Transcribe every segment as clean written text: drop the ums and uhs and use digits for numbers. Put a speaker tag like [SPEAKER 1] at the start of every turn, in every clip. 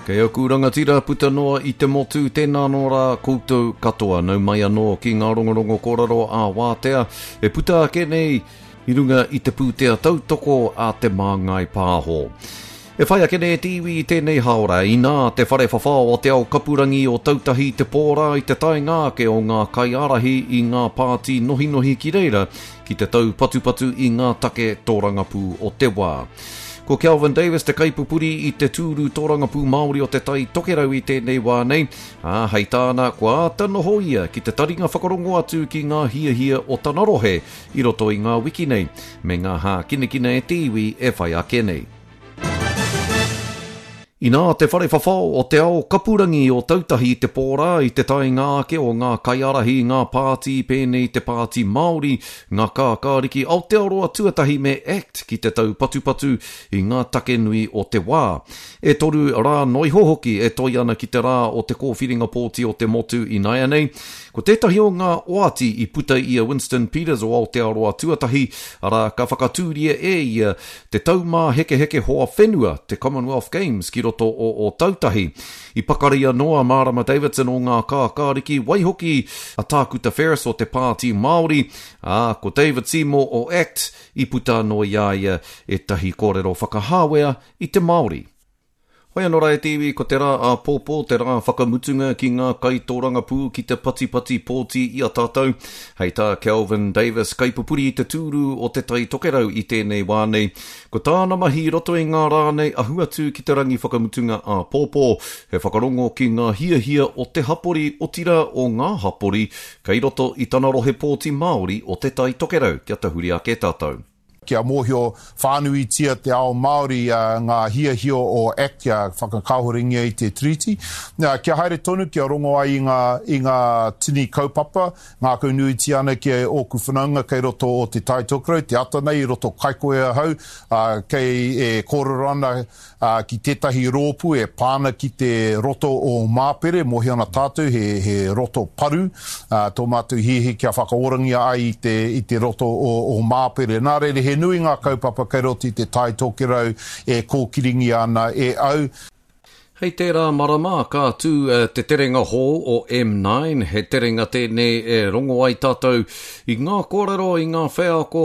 [SPEAKER 1] Kei aku rangatira puta noa i te motu, tēnā anō rā koutou katoa. Nau mai anō ki ngā rongorongo kōrero ā-wātea e puta ake nei i runga i te pūtea tautoko a Te Māngai Pāho. E whai ake nei te iwi i tēnei hāora, inā te whare whawhao o Te Ao Kapurangi o Tautahi te pōrā i te taenga ake o ngā kaiārahi i ngā pāti nohinohi ki reira ki te taupatupatu i ngā take tōrangapū o te wā. Ko Kelvin Davis te kaipupuri i te tūru tōrangapū Māori o Te Tai Tokerau i tēnei wā nei, ā, hei tāna, kua āta noho ia ki te taringa whakarongo atu ki ngā hiahia o tana rohe i roto i ngā wiki nei, me ngā hākinakina e te iwi e whai ake nei. Inā te whare whawhao o Te Ao Kapurangi o Tautahi te pōrā i te taenga ake o ngā kaiārahi i ngā pāti pēnei te Pāti Māori, ngā Kākāriki Aotearoa Tuatahi me act ki te taupatupatu i ngā take nui o te wā. E toru rā noiho hoki e toi ana ki te rā o te kōwhiringa pōti o te motu inaianei. Ko tētahi o ngā oati i puta i a Winston Peters o Aotearoa Tuatahi, arā, ka whakatūria e ia Te Taumāhekeheke Hoa Whenua, te Commonwealth Games ki roto o Ōtautahi. I pakari anō a Marama Davidson o Ngā Kākāriki, waihoki a Tākuta Ferris o te Pāti Māori, ā, ko David Seymour o act i puta anō i a ia ētahi kōrero whakahāwea i te Māori. Hoi anō rā e te iwi, ko te rā āpōpō te rā whakamutunga ki ngā kaitōrangapū ki te patipati pōti i a tātou. Hei tā Kelvin Davis, kaipupuri i te tūru o Te Tai Tokerau i tēnei wā nei, ko tāna mahi i roto i ngā rā nei ahu atu ki te rangi whakamutunga āpōpō, he whakarongo ki ngā hiahia o te hapori, otirā o ngā hapori kei roto i tana rohe pōti Māori o Te Tai Tokerau. Kia tahuri ake tātou.
[SPEAKER 2] Kia mōhio whānuitia te ao Māori ngā hiahia o act kia whakakāhorengia i te Tiriti. Kia haere tonu kia rongo ai i ngā, i ngā tini kaupapa, ngākaunuitia ana ki ōku whanaunga kei roto o Te Tai Tokerau, te ata nei i roto Kaikohe ahau, kei e kōrero ana ā, ki tētahi rōpū e pā ana ki te roto o Māpere, mōhio ana tātou he, he roto paru, ā, tō mātou hiahia kia whakaorangia ai i te, i te roto o, o Māpere. Nā reira, he nui ngā kaupapa kei roto i te Tai Tokerau e kōkiringia ana e au.
[SPEAKER 1] Hei tērā marama ka tū te terenga hou o M9, he terenga tēnei e rongo ai tātou i ngā kōrero, i ngā wheako,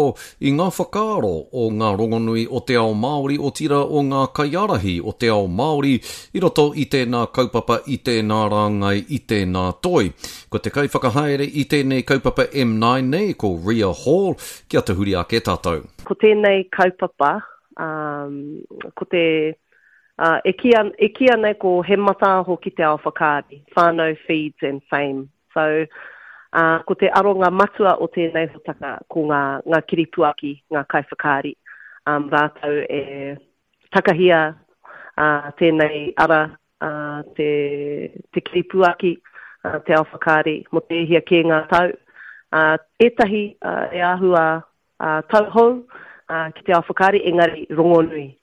[SPEAKER 1] i ngā whakaaro o ngā rongonui o te ao Māori, otirā o ngā kaiārahi o te ao Māori i roto i tēnā kaupapa, i tēnā rāngai, i tēnā toi. Ko te kaiwhakahaere i tēnei kaupapa M9 nei, ko Ria Hall, kia tahuri ake tātou.
[SPEAKER 3] Ko tēnei kaupapa, ko te Ā, e kīia, e kīia nei ko He Mataaho ki te Ao Whakaari, Whānau Feeds and Fame. So, ā, ko te aronga matua o tēnei hōtaka ko ngā, ngā kiripuaki, ngā kaiwhakaari, ā, rātou e takahia, ā, tēnei ara, ā, te, te kiripuaki, ā, te ao whakaari mō te e hia kē ngā tau. Ā, ētahi, ā, e āhua ā, tauhou, ā, ki te ao whakaari, engari rongonui.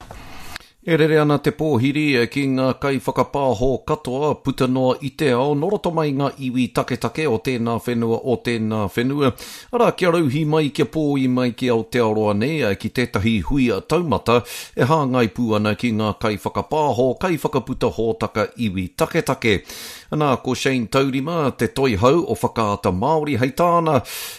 [SPEAKER 1] E rere ana te pōhiri ki ngā kaiwhakapāho katoa puta noa i te ao nō roto mai ngā iwi taketake o tēnā whenua o tēnā whenua, arā kia rauhī mai kia pōi mai ki Aotearoa nei ki tētahi hui taumata e hāngai pū ana ki ngā kaiwhakapāho, kaiwhakaputa hōtaka iwi taketake. Ana, ko Shane Taurima te toihau o Whakaata Māori, hei tāna,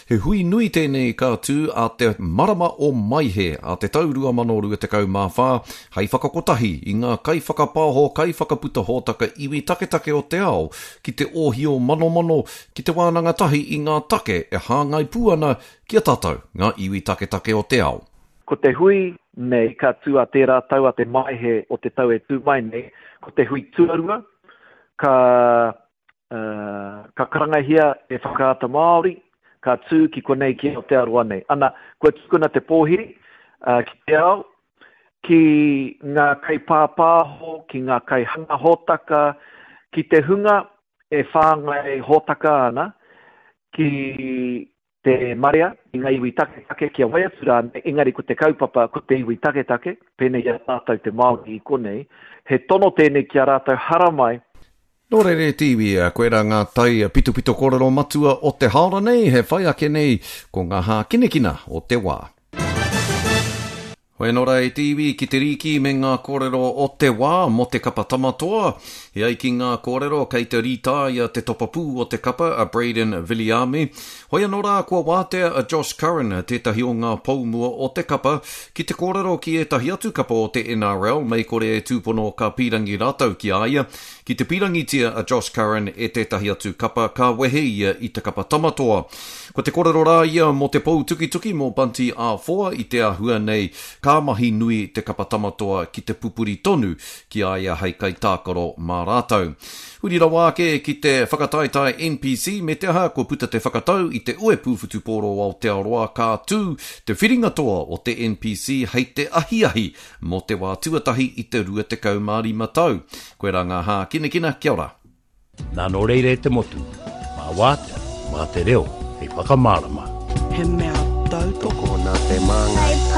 [SPEAKER 1] he hui nui tēnei ka tū a te marama o Maehe, a te tau 2024, hei whakakotahi i ngā kaiwhakapaoho, kaiwhakaputa hōtaka iwi taketake o te ao ki te ōhio manomano, ki te wānanga tahi i ngā take e hāngai pū ana ki a tātou, ngā iwi taketake o te ao.
[SPEAKER 4] Ko te hui nei ka tū a tērā tau a te Maehe o te tau e tū mai nei, ko te hui tuarua ka, uh, ka karangahia e Whakaata Māori, ka tū ki konei ki Aotearoa nei. Ana, kua tukuna te pōhiri uh, ki te ao, ki ngā kaipāpāho, ki ngā kaihanga hōtaka, ki te hunga e whāngai hōtaka ana, ki te marea, i ngā iwi taketake, kia wai atu rānei, engari ko te kaupapa, ko te iwi taketake, pēnei i a tātou te Māori i konei, he tono tēnei ki a rātou haramai.
[SPEAKER 1] Nō reira e te iwi, koirā ngā tai pitopito kōrero matua o te haora nei, he whai ake nei ko ngā hākinakina o te wā. Hoi anō rā e te iwi ki te rīki me ngā kōrero o te wā mō te kapa Tama Toa. E ai ki ngā kōrero kei te rītāia te topapū o te kapa a Brayden Viliame. Hoi anō rā kua wātea a Josh Curran, tētahi o ngā pou mua o te kapa, ki te kōrero ki ētahi atu kapa o te NRL mei kore e tūpono ka pīrangi rātou ki a ia. Ki te pīrangitia a Josh Curran e tētahi atu kapa ka wehe ia i te kapa Tama Toa. Ko te korero rā ia mō te pou tukituki mō Bunty Afoa i te āhua nei ka mahi nui te kapa Tama Toa ki te pupuri tonu ki a ia hei kaitākaro mā rātou. Huri rawa ake ki te whakataetae NPC me te aha kua puta te whakatau i te Uepū Whutupōro o Aotearoa ka tū te whiringa toa o te NPC hei te ahiahi mō te wā tuatahi i te 25 tau. Koirā ngā hākinakina, kia ora.
[SPEAKER 5] Nā nō reira e te motu, mā wātea, mā te reo hei whakamārama.
[SPEAKER 6] He mea tautoko
[SPEAKER 7] nā te Māngai.